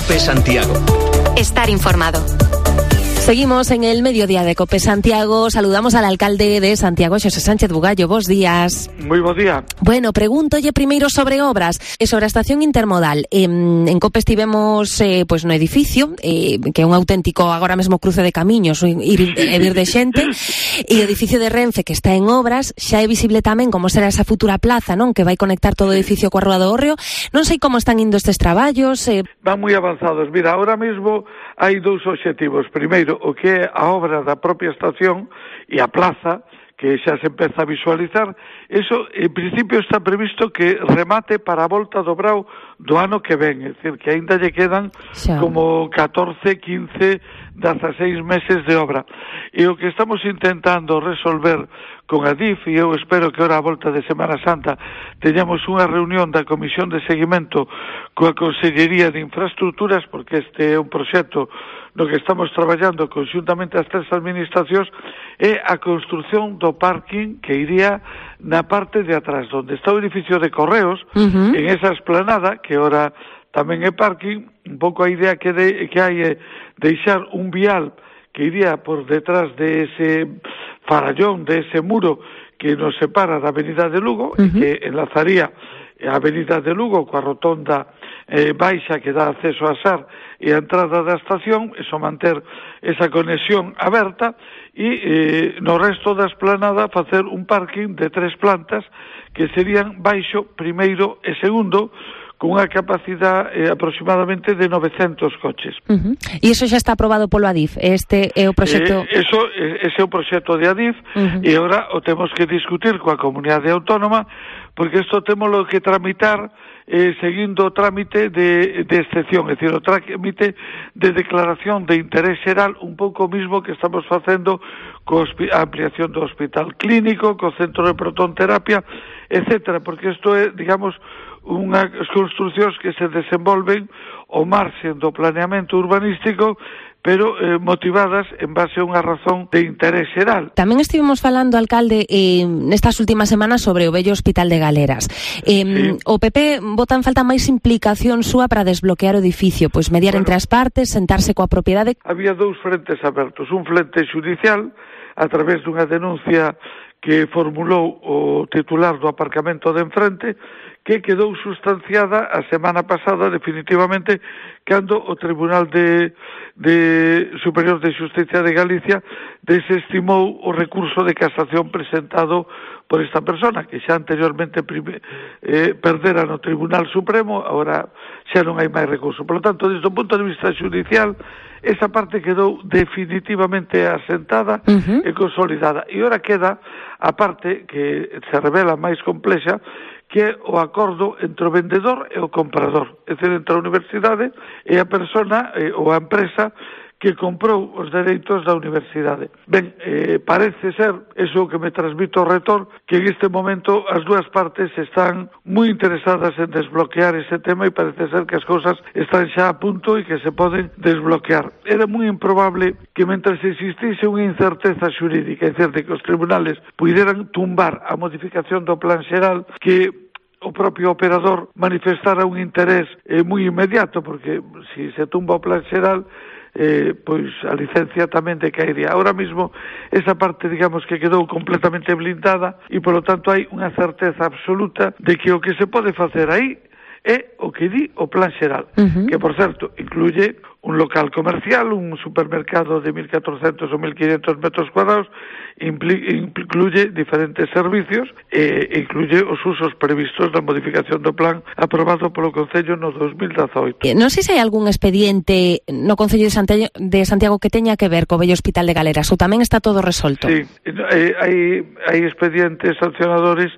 COPE Santiago. Estar informado. Seguimos en el mediodía de COPE Santiago. Saludamos al alcalde de Santiago, Xosé Sánchez Bugallo. Bos días. Moi bo día. Bueno, pregúntolle primeiro sobre obras e sobre a estación intermodal. En COPE estivemos pois no edificio, que é un auténtico agora mesmo cruce de camiños, ir e vir de xente, e o edificio de Renfe que está en obras. Xa é visible tamén como será esa futura plaza, non, que vai conectar todo o edificio coa Rúa do Hórreo. Non sei como están indo estes traballos. Van moi avanzados. Mira, ahora mesmo hai dous obxectivos. Primeiro, o que é a obra da propia estación e a plaza, que xa se empeza a visualizar. Eso, en principio, está previsto que remate para a volta do Brao do ano que ven. É dicir, que aínda lle quedan como 14, 15, 16 meses de obra. E o que estamos intentando resolver con a DIF, e eu espero que ahora a volta de Semana Santa teñamos unha reunión da Comisión de Seguimento coa Consellería de Infraestructuras, porque este é un proxecto no que estamos traballando conxuntamente as tres administracións, é a construción do parking que iría na parte de atrás, onde está o edificio de Correos, en esa esplanada, que ahora tamén é parking. Un pouco a idea que hai é deixar un vial que iría por detrás de ese farallón, de ese muro que nos separa da Avenida de Lugo, e que enlazaría a Avenida de Lugo coa rotonda baixa que dá acceso a Sar e a entrada da estación, eso manter esa conexión aberta, e no resto da esplanada facer un parking de 3 plantas que serían baixo, primeiro e segundo, con unha capacidade aproximadamente de 900 coches. E iso xa está aprobado polo ADIF? Este é o proxecto... Ese é o proxecto de ADIF, e agora o temos que discutir coa comunidade autónoma, porque isto témolo que tramitar seguindo o trámite de excepción, é dicir, o trámite de declaración de interés xeral, un pouco mismo que estamos facendo coa ampliación do hospital clínico, co centro de protonterapia, etcétera, porque isto é, digamos, unhas construcións que se desenvolven ao marxen do planeamento urbanístico, pero motivadas en base a unha razón de interés xeral. Tamén estivemos falando, alcalde, nestas últimas semanas sobre o vello Hospital de Galeras. O PP bota en falta máis implicación súa para desbloquear o edificio, pois mediar entre as partes, sentarse coa propiedade. Había dous frentes abertos, un frente xudicial a través dunha denuncia que formulou o titular do aparcamento de enfrente, que quedou sustanciada a semana pasada definitivamente cando o Tribunal Superior de Xusticia de Galicia desestimou o recurso de casación presentado por esta persona, que xa anteriormente perdera no Tribunal Supremo, agora xa non hai máis recurso. Por lo tanto, desde o punto de vista xudicial, esa parte quedou definitivamente asentada e consolidada. E ora queda a parte que se revela máis complexa, que é o acordo entre o vendedor e o comprador, é dicir, entre a universidade e a persona ou a empresa que comprou os dereitos da universidade. Ben, parece ser, eso que me transmite o retor, que en este momento as dúas partes están moi interesadas en desbloquear ese tema e parece ser que as cousas están xa a punto e que se poden desbloquear. Era moi improbable que mentre existise unha incerteza xurídica, é dicir, de que os tribunales puderan tumbar a modificación do plan xeral, que o propio operador manifestara un interés moi inmediato, porque se tumba o plan xeral, pois a licencia tamén decaería. Ahora mismo esa parte, digamos, que quedou completamente blindada e, polo tanto, hai unha certeza absoluta de que o que se pode facer aí é o que di o plan xeral, que, por certo, incluye un local comercial, un supermercado de 1.400 ou 1.500 metros cuadrados, incluye diferentes servicios e incluye os usos previstos na modificación do plan aprobado polo Concello no 2018. Non sei se hai algún expediente no Concello de Santiago que teña que ver co vello Hospital de Galeras, ou tamén está todo resolto? Sí, hai expedientes sancionadores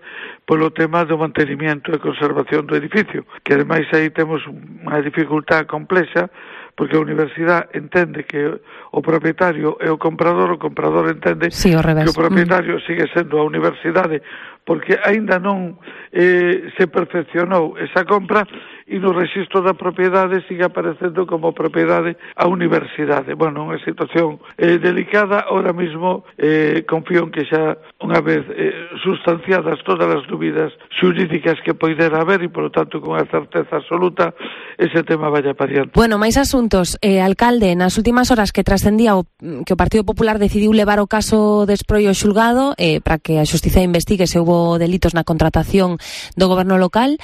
polo tema do mantenimiento e conservación do edificio, que ademais aí temos unha dificultad complexa, porque a universidade entende que o propietario é o comprador entende que o propietario sigue sendo a universidade porque aínda non se perfeccionou esa compra e no rexistro da propiedade sigue aparecendo como propiedade a universidade. Bueno, unha situación delicada. Ahora mismo confío en que xa unha vez sustanciadas todas as dúbidas xurídicas que poidera haber e, polo tanto, con a certeza absoluta, ese tema vaya para diante. Bueno, máis asuntos. Alcalde, nas últimas horas que trascendía que o Partido Popular decidiu levar o caso de esproio ao xulgado para que a Xustiza investigue se houbo delitos na contratación do goberno local.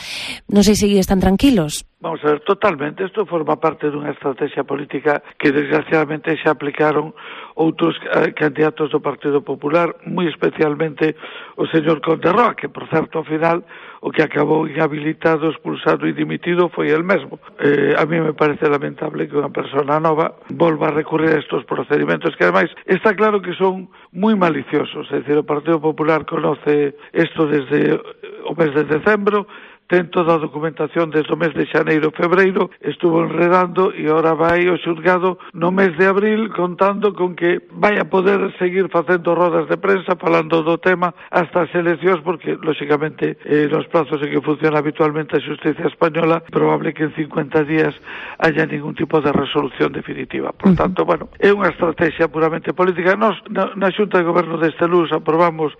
Non sei se están tranquilos. Vamos a ver, totalmente. Isto forma parte dunha estrategia política que desgraciadamente xa aplicaron outros candidatos do Partido Popular, moi especialmente o señor Conde Roa, que, por certo, ao final, o que acabou inhabilitado, expulsado e dimitido foi el mesmo. A mí me parece lamentable que unha persona nova volva a recurrir a estos procedimentos, que ademais está claro que son moi maliciosos. É dicir, o Partido Popular conoce isto desde o mes de decembro, ten toda a documentación desde o mes de xaneiro, febreiro, estuvo enredando e ahora vai ao xulgado no mes de abril contando con que vai a poder seguir facendo rodas de prensa falando do tema hasta as eleccións, porque, lóxicamente, nos plazos en que funciona habitualmente a xustiza española, probable que en 50 días haya ningún tipo de resolución definitiva. Por tanto, bueno, é unha estrategia puramente política. Nos, na Xunta de Goberno deste Luz, aprobamos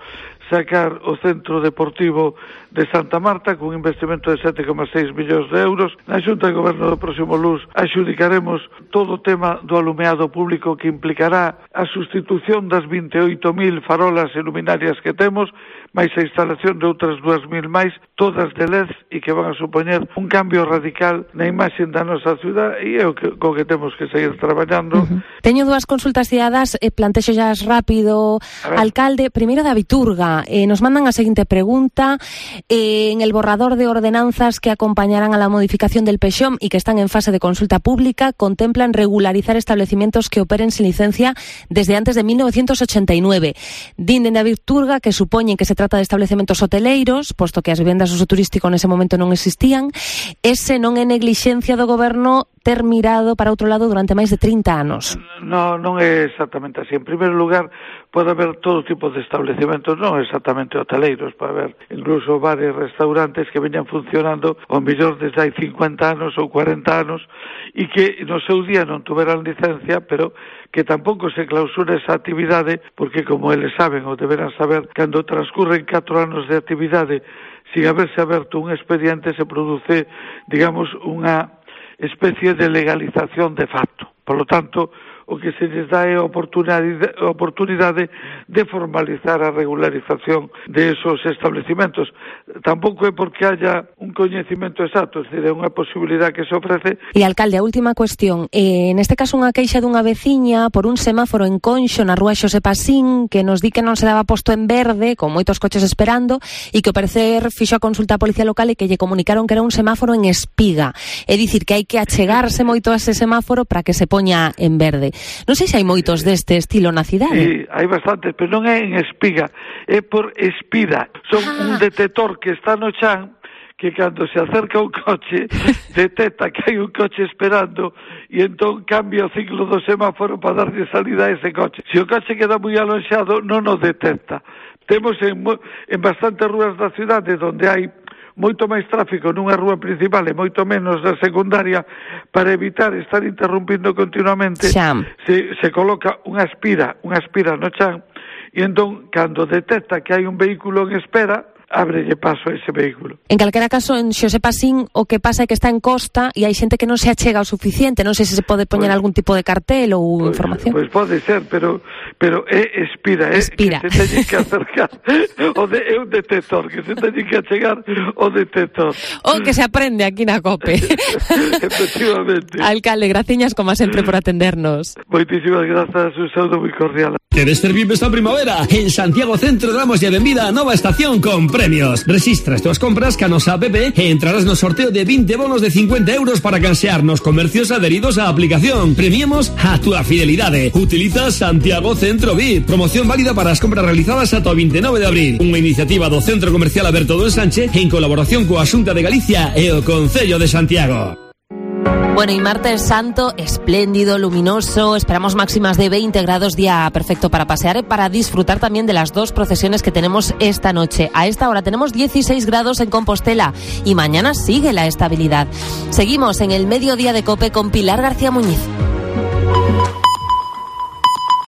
sacar o Centro Deportivo de Santa Marta con un investimento de 7,6 millóns de euros. Na Xunta de Goberno do próximo Luz axudicaremos todo o tema do alumeado público, que implicará a sustitución das 28.000 farolas e luminarias que temos, máis a instalación de outras 2.000 máis, todas de LED, e que van a supoñer un cambio radical na imaxe da nosa ciudad, e é o que, co que temos que seguir traballando. Teño dúas consultas cidadanas, plantexo xa rápido, alcalde. Primeiro, da Viturga. Nos mandan a seguinte pregunta. En el borrador de ordenanzas que acompañarán a la modificación del PEXOM y que están en fase de consulta pública, contemplan regularizar establecimientos que operen sin licencia desde antes de 1989. Din dende a Viturga que supoñen que se trata de establecimientos hoteleiros, posto que as vivendas de uso turístico nese momento non existían. Ese non é neglixencia do goberno ter mirado para outro lado durante máis de 30 anos. Non é exactamente así. En primeiro lugar, pode haber todo tipo de establecimientos, non exactamente hoteleiros, pode haber incluso bares, restaurantes que veñan funcionando ao mellor desde hai 50 anos ou 40 anos e que no seu día non tuveran licencia, pero que tampouco se clausura esa actividade, porque, como eles saben ou deberán saber, cando transcurren 4 anos de actividade sin haberse aberto un expediente, se produce, digamos, unha especie de legalización de facto. Por lo tanto, o que se les dá é a oportunidade de formalizar a regularización de esos establecimentos. Tampouco é porque haya un coñecimento exacto, é dicir, é unha posibilidade que se ofrece. E, alcalde, a última cuestión. Neste caso, unha queixa dunha veciña por un semáforo en Conxo, na rúa Xosé Pasín, que nos di que non se daba posto en verde, con moitos coches esperando, e que ao parecer fixo a consulta á Policía Local e que lle comunicaron que era un semáforo en espiga. É dicir, que hai que achegarse moito a ese semáforo para que se poña en verde. Non sei se hai moitos deste estilo na cidade. Sí, hai bastantes, pero non é en espiga, é por espida. Son un detector que está no chan, que cando se acerca un coche detecta que hai un coche esperando e entón cambia o ciclo do semáforo para darlle salida a ese coche. Se o coche queda moi alonxado, non o detecta. Temos en bastantes rúas da cidade onde hai moito máis tráfico nunha rúa principal e moito menos na secundaria, para evitar estar interrumpindo continuamente, se coloca unha aspira no chan, e entón, cando detecta que hai un vehículo en espera, ábrelle paso a ese vehículo. En calquera caso, en Xosé Pasín, o que pasa é que está en costa e hai xente que non se achega o suficiente. Non sei se pode poñer algún tipo de cartel ou información. Pois pode ser, pero é espira, que se teñen que acercar. É un detector, que se teñen que achegar o detector. O que se aprende aquí na COPE. Efectivamente. Alcalde, graciñas como sempre por atendernos. Moitísimas grazas, un saúdo moi cordial. ¿Quieres servir esta primavera? En Santiago Centro damos ya benvida a nova estación con premios. Resistra as tuas compras ca nosa app e entrarás no sorteo de 20 bonos de 50 euros para cansear nos comercios adheridos á aplicación. Premiemos a túa fidelidade. Utiliza Santiago Centro VIP. Promoción válida para as compras realizadas ata o 29 de abril. Unha iniciativa do Centro Comercial Alberto do Ensanche en colaboración coa Xunta de Galicia e o Concello de Santiago. Bueno, y martes santo, espléndido, luminoso, esperamos máximas de 20 grados, día perfecto para pasear y para disfrutar también de las 2 procesiones que tenemos esta noche. A esta hora tenemos 16 grados en Compostela y mañana sigue la estabilidad. Seguimos en el Mediodía de COPE con Pilar García Muñiz.